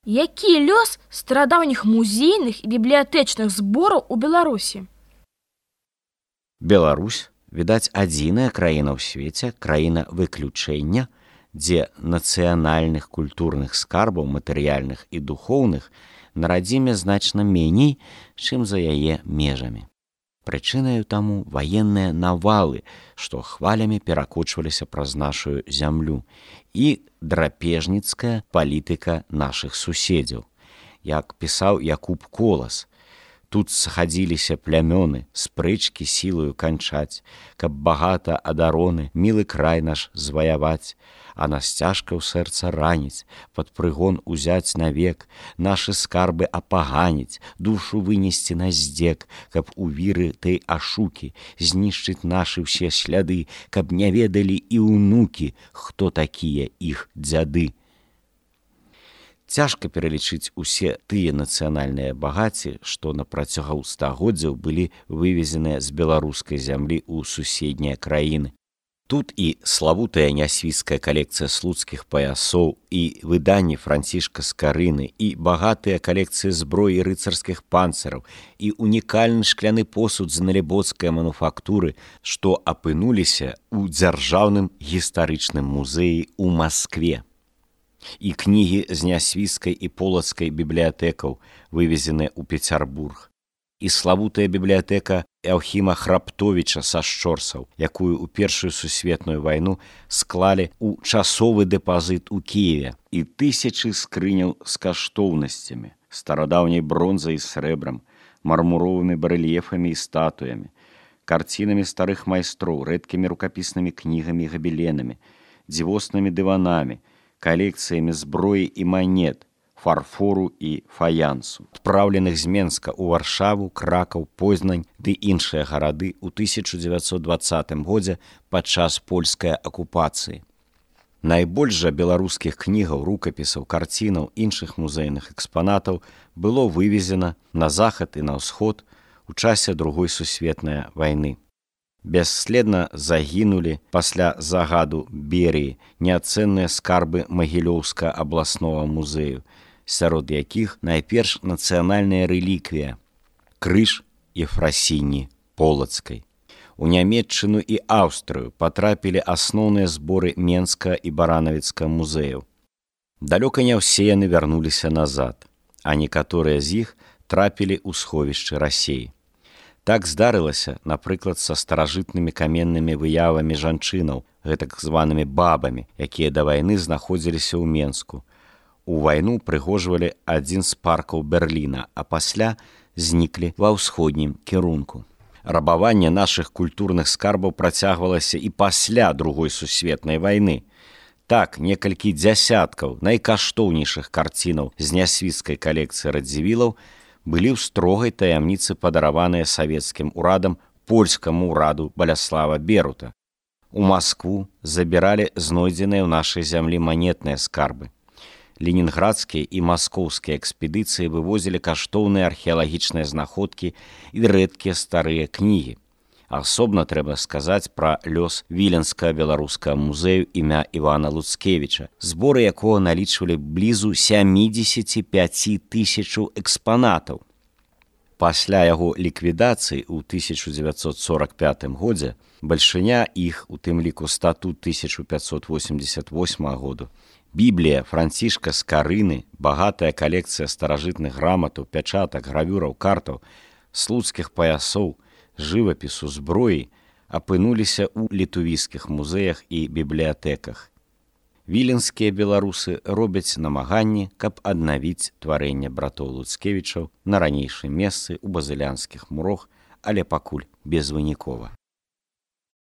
Які лёс старадаўніх музейных і бібліятэчных збораў у Беларусі? Беларусь, відаць, адзіная краіна ў свеце, краіна выключэння, дзе нацыянальных культурных скарбаў, матэрыяльных і духоўных на радзіме значна меней, чым за яе межамі. Прычынаю таму ваенныя навалы, што хвалямі перакочваліся праз нашу зямлю, і драпежніцкая палітыка нашых суседзяў. Як пісаў Якуб Колас, тут схадзіліся плямёны, спрэчкі сілаю канчаць, каб багата адароны, мілы край наш зваяваць, а нас цяжка ў сэрца раніць, пад прыгон узяць навек, нашы скарбы апаганіць, душу вынесці на здзек, каб у віры той ашукі знішчыць нашы ўсе сляды, каб не ведалі і ўнукі, хто такія іх дзяды. Цяжка пералічыць усе тыя нацыянальныя багаці, што на працягу стагоддзяў былі вывезеныя з беларускай зямлі ў суседнія краіны. Тут і славутая нясвійская калекцыя слуцкіх паясоў, і выданні Францішка Скарыны, і багатыя калекцыі зброі рыцарскіх панцыраў, і унікальны шкляны посуд з налібоцкай мануфактуры, што апынуліся ў дзяржаўным гістарычным музеі ў Маскве. І кнігі з нясвійскай і полацкай бібліятэкаў, вывезеныя ў Пецярбург. І славутая бібліятэка Еўхіма Храптовіча са Шчорсаў, якую ў Першую сусветную вайну склалі ў часовы дэпазіт у Кіеве, і тысячы скрыняў з каштоўнасцямі, старадаўняй бронзай і срэбрам, мармуровымі барэльефамі і статуямі, карцінамі старых майстроў, рэдкімі рукапіснымі кнігамі і габеленамі, дзівоснымі дыванамі, калекцыямі зброі і манет, фарфору і фаянсу, адпраўленых з Менска ў Варшаву, Кракаў, Познань ды іншыя гарады ў 1920 годзе падчас польскай акупацыі. Найбольш жа беларускіх кнігаў, рукапісаў, карцінаў, іншых музейных экспанатаў было вывезена на захад і на ўсход у часе Другой сусветнай вайны. Бясследна загінулі пасля загаду Берыі неацэнныя скарбы Магілёўскага абласнога музею, сярод якіх найперш нацыянальная рэліквія – крыж Ефрасіні Полацкай. У Нямецчыну і Аўстрыю патрапілі асноўныя зборы Менскага і Баранавіцкага музеяў. Далёка не ўсе яны вярнуліся назад, а некаторыя з іх трапілі ў сховішчы Расеі. Так здарылася, напрыклад, са старажытнымі каменнымі выявамі жанчынаў, гэтак званымі бабамі, якія да вайны знаходзіліся ў Менску. У вайну прыгожвалі адзін з паркаў Берліна, а пасля зніклі ва ўсходнім кірунку. Рабаванне нашых культурных скарбаў працягвалася і пасля Другой сусветнай вайны. Так, некалькі дзясяткаў найкаштоўнейшых карцінаў з нясвійскай калекцыі радзівілаў былі ў строгай таямніцы падараваныя савецкім урадам польскаму ўраду Баляслава Берута. У Маскву забіралі знойдзеныя ў нашай зямлі манетныя скарбы. Ленінградскія і маскоўскія экспедыцыі вывозілі каштоўныя археалагічныя знаходкі і рэдкія старыя кнігі. Асобна трэба сказаць пра лёс Віленскага беларускага музею імя Івана Луцкевіча, зборы якога налічвалі блізу 75 тысячаў экспанатаў. Пасля яго ліквідацыі ў 1945 годзе бальшыня іх, у тым ліку статут 1588 году, Біблія Францішка Скарыны, багатая калекцыя старажытных граматаў, пячатак, гравюраў, картаў, слуцкіх паясоў, жывапісу, зброі апынуліся ў літувійскіх музеях і бібліятэках. Віленскія беларусы робяць намаганні, каб аднавіць тварэнне братоў Луцкевічаў на ранейшым месцы ў базылянскіх мурах, але пакуль безвынікова.